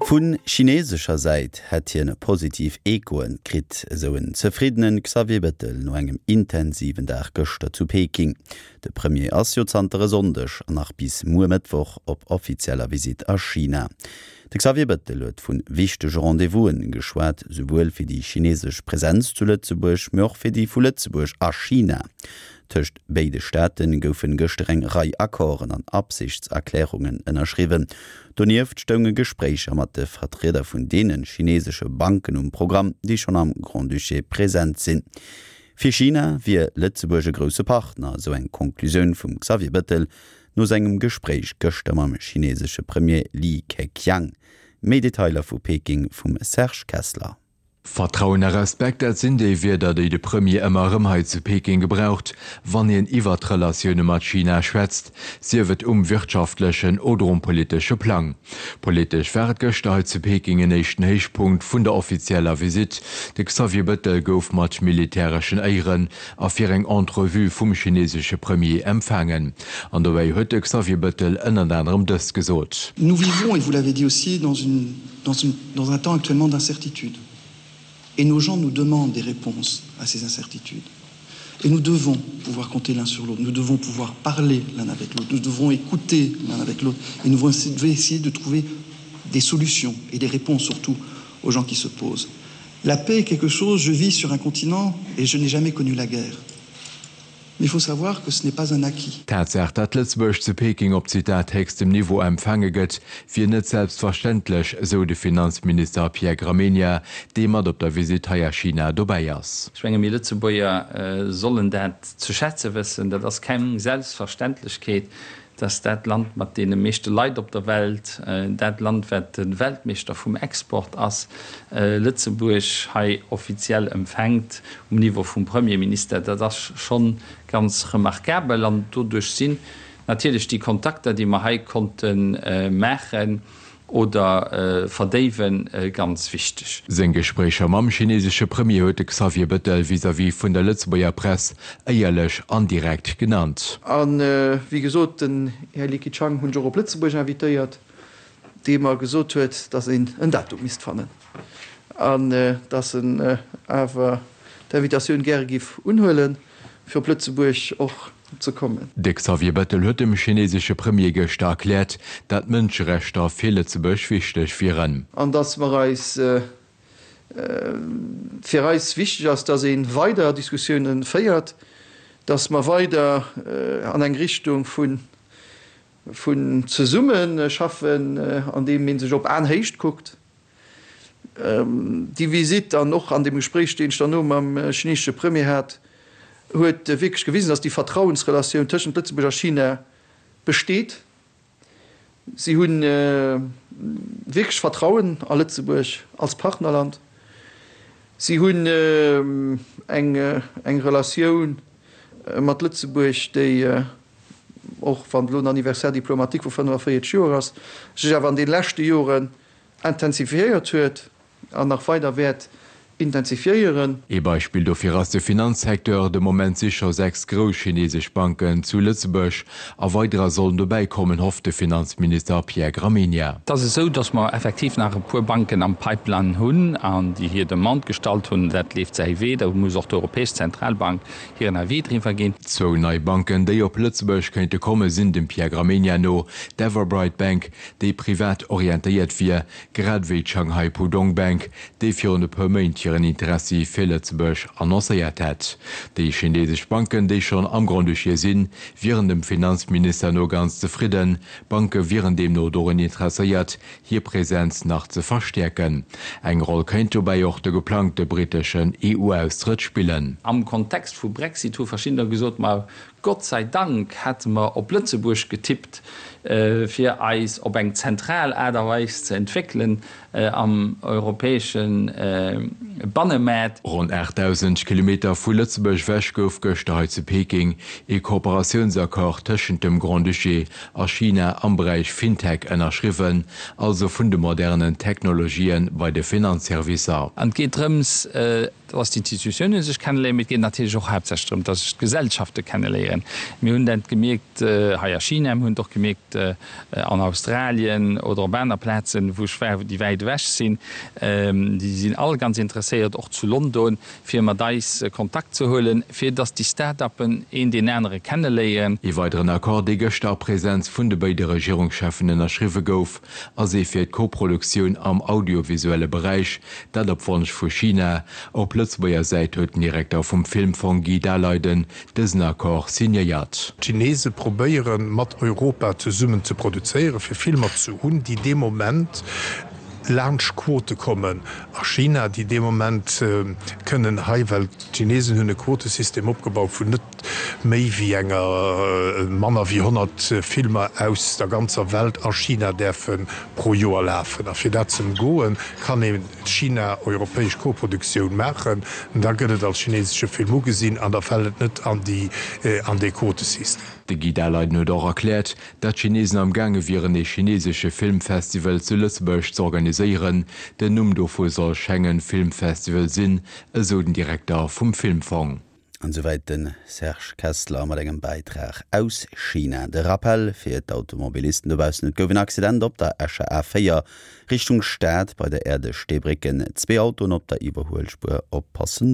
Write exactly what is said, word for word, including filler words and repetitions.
Vu chinesescher Säit hätt hien positiv Echoen kritt, esou en zefriddene Xavier Bettel no engem intensiven Dag gëschter zu Peking. De Premier ass jo zanter e Sonndeg an nach bis muer Mëttwoch op offizieller Visitt a China. De Xavier Bettel huet vu wichtege Rendez-vous'en geschwat, souwuel fir déi chinesesch Presenz zu Lëtzebuerg, mee och fir déi vu Lëtzebuerg a China. Tëscht béide Staate goufen gëschter eng Rei Accorden an Absichtserklärungen ënnerschriwwen. Donieft stounge Gespréicher mat de Vertrieder vun deene chinesesche Banken um Programm, déi schonn am Grand-Duché present sinn. Fir China wier Lëtzebuerg e grousse Partner, esou eng Conclusioun vum Xavier Bettel no sengem Gespréich gëschter mam chinesesche Premier Li Keqiang. Méi Detailer vu Peking vum Serge Kessler. Vertrauen a Respekt, dat sinn déi Wierder, déi de Premier ëmmer erëm hei zu Peking gebraucht, wann hien iwwer d'Relatioune mat China schwätzt, sief et um wirtschaftlechen oder um politesche Plang. Politesch war et gëschter hei zu Peking en éischten Héichpunkt vun der offizieller Visitt, De Xavier Bettel gouf mat militäreschen Éieren a fir eng Entrevue vum chinesesche Premier empfaangen. An dobäi huet de Xavier Bettel ënnert anerem dëst gesot. Nous vivons, et vous l'avez dit aussi, dans une, dans une, dans un temps actuellement d'incertitude. Et nos gens nous demandent des réponses à ces incertitudes. Et nous devons pouvoir compter l'un sur l'autre, nous devons pouvoir parler l'un avec l'autre, nous devons écouter l'un avec l'autre et nous devons essayer de trouver des solutions et des réponses surtout aux gens qui se posent. La paix est quelque chose, je vis sur un continent et je n'ai jamais connu la guerre. Mais il faut savoir que ce n'est pas un acquis. D'Tatsaach, datt Lëtzebuerg zu Peking op, Zitat, héchstem Niveau empfaange gëtt, wier net selbstverständlech, esou de Finanzminister Pierre Gramegna, dee mat op der Visitt hei a China dobäi ass. Ech menge mir Lëtzebuerger sollen dat ze schätze wëssen. Dat ass keng Selbstverständlechkeet, dass dat Land mat deene meeschte Leit op der Welt, dat Land wat de Weltmeeschter vum Export ass, Lëtzebuerg hei offiziell empfänkt um Niveau vum Premierminister. Dat ass scho ganz remarkabel an doduerch sinn natierlech déi Kontakter, déi mer hei konnte maachen, oder verdéiwen, ganz wichteg. Seng Gespréicher mam chinesesche Premier huet de Xavier Bettel vis-à-vis vun der Lëtzebuerger Press éierlech an direkt genannt. A wéi gesot, den Här Li Keqiang hunn ech och op Lëtzebuerg invitéiert, dee mer gesot huet, datt een en Datum misst fannen an datt en awer d'Invitatioun gäre giff unhuelen, fir op Lëtzebuerg och ze kommen. De Xavier Bettel huet dem chinesesche Premier gëschter erkläert, dat d'Mënscherechter fir Lëtzebuerg wichteg wieren. An datt mer eis, fir eis wichteg ass, datt ee weider Diskussiounen féiert, datt mer weider an eng Richtung vun vun zesumme schaffen, andeem ee sech op Aenhéicht kuckt. Déi Visitt an och an deem Gespréich, deen ech derno mam chinesesche Premier hat, huet wierklech gewisen, datt déi Vertrauensrelatioun tëschent Lëtzebuerg a China besteet. Si hu wierklech Vertrauen a Lëtzebuerg als Partnerland. Si hunn eng Relatioun mat Lëtzebuerg, déi, och wann elo en Anniversaire diplomatique vu fënnefaféierzeg Joer ass, sech awer an de leschte Joren intensifiéiert huet an nach weider wäert intensifiéieren. Ee Beispill dofir ass de Finanzsecteur. De Moment si scho sechs grouss chinesesch Banken zu Lëtzebuerg a weiderer sollen dobäi kommen, hofft de Finanzminister Pierre Gramegna. Et ass esou, datt mer effektiv nach e puer Banken am Pipeline hunn an déi hir Demande gestallt hunn. Dat leeft säi Wee. Do muss och d'Europäesch Zentralbank hiren Avis driwwer ginn. Zwou nei Banken, déi op Lëtzebuerg kéinte komme sinn dem Pierre Gramegna no d'Everbright Bank, déi privat orientéiert wier, grad ewéi d'Shanghai Pudong Bank, déi virun e puer Méint hiren Interessi fir Lëtzebuerg annoncéiert hätt. Déi chinesesch Banken, déi schonn am Grand-Duché sinn, wieren dem Finanzminister no ganz zefridden. D'Banke wieren deemno dorun interesséiert, hir Presenz nach ze verstäerken. Eng Roll kéint dobäi och de geplangte britteschen E U-Austrëtt spillen. Am Kontext vu Brexit hu verschiddener gesot, ma Gott sei Dank hätte mer op Lëtzebuerg getippt, fir eis op eng zentral Aart a Weis ze entwéckelen am europäesche Bannemaart. Ronn aachtdausend Kilometer vu Lëtzebuerg ewech gouf gëschter hei zu Peking ee Kooperatiounsaccord tëschent dem Grand-Duché a China am Beräich FinTech ënnerschriwwen, also vun de modernen Technologië bei de Finanzservicer. An et geet drëms, dass d'Institutiounen sech kenneléieren, mee et geet natierlech och haaptsächlech drëm, dass sech d'Gesellschafte kenneléieren. kenneléieren. Mir hunn dat gemierkt hei a China, mir hunn et och gemierkt an Australien oder op aner Plazen, wou ech war, déi wäit ewech sinn. Déi sinn all ganz interesséiert, och zu London, fir mat eis Kontakt ze huelen, fir datt déi Start-uppen een deen anere kenneléieren. Ee weideren Accord, dee gëschter a Presenz vun de béide Regierungscheffen ënnerschriwwe gouf, ass ee fir d'Koproduktioun am audiovisuelle Beräich, dat op Wonsch vu China. Op Lëtzebuerger Säit huet den Direkter vum Filmfong Guy Daleiden dësen Accord signéiert. D'Chinese probéiere mat Europa zesummen ze produzéieren, fir Filmer ze hunn, déi dee Moment laanscht Quote kommen a China, déi dee Moment kënnen hei, well d'Chinesen hunn e Quotesystem opgebaut vun net méi wéi enger, manner wéi honnert Filmer aus der ganzer Welt a China däerfe pro Joer lafen. A fir dat ze ëmgoen, kann een China-europäesch Koproduktioun maachen. Da gëtt et als chinesesche Film ugesinn an da fält et net an déi, an dee Quotesystem. De Guy Daleiden huet och erkläert, datt d'Chinesen am gaange wieren ee chinesesche Filmfestival zu Lëtzebuerg z'organiséieren. Den Numm dovu soll Schengen Film Festival sinn, esou den Direkter vum Filmfong. An esouwäit de Serge Kessler mat engem Bäitrag aus China. De Rappel fir d'Automobilisten dobaussen, Et gouf en Accident op der Escher A véier Richtung Stad bei der Aire de Steebrécken. Zwee Autoen op der Iwwerhuelspuer, oppassen do.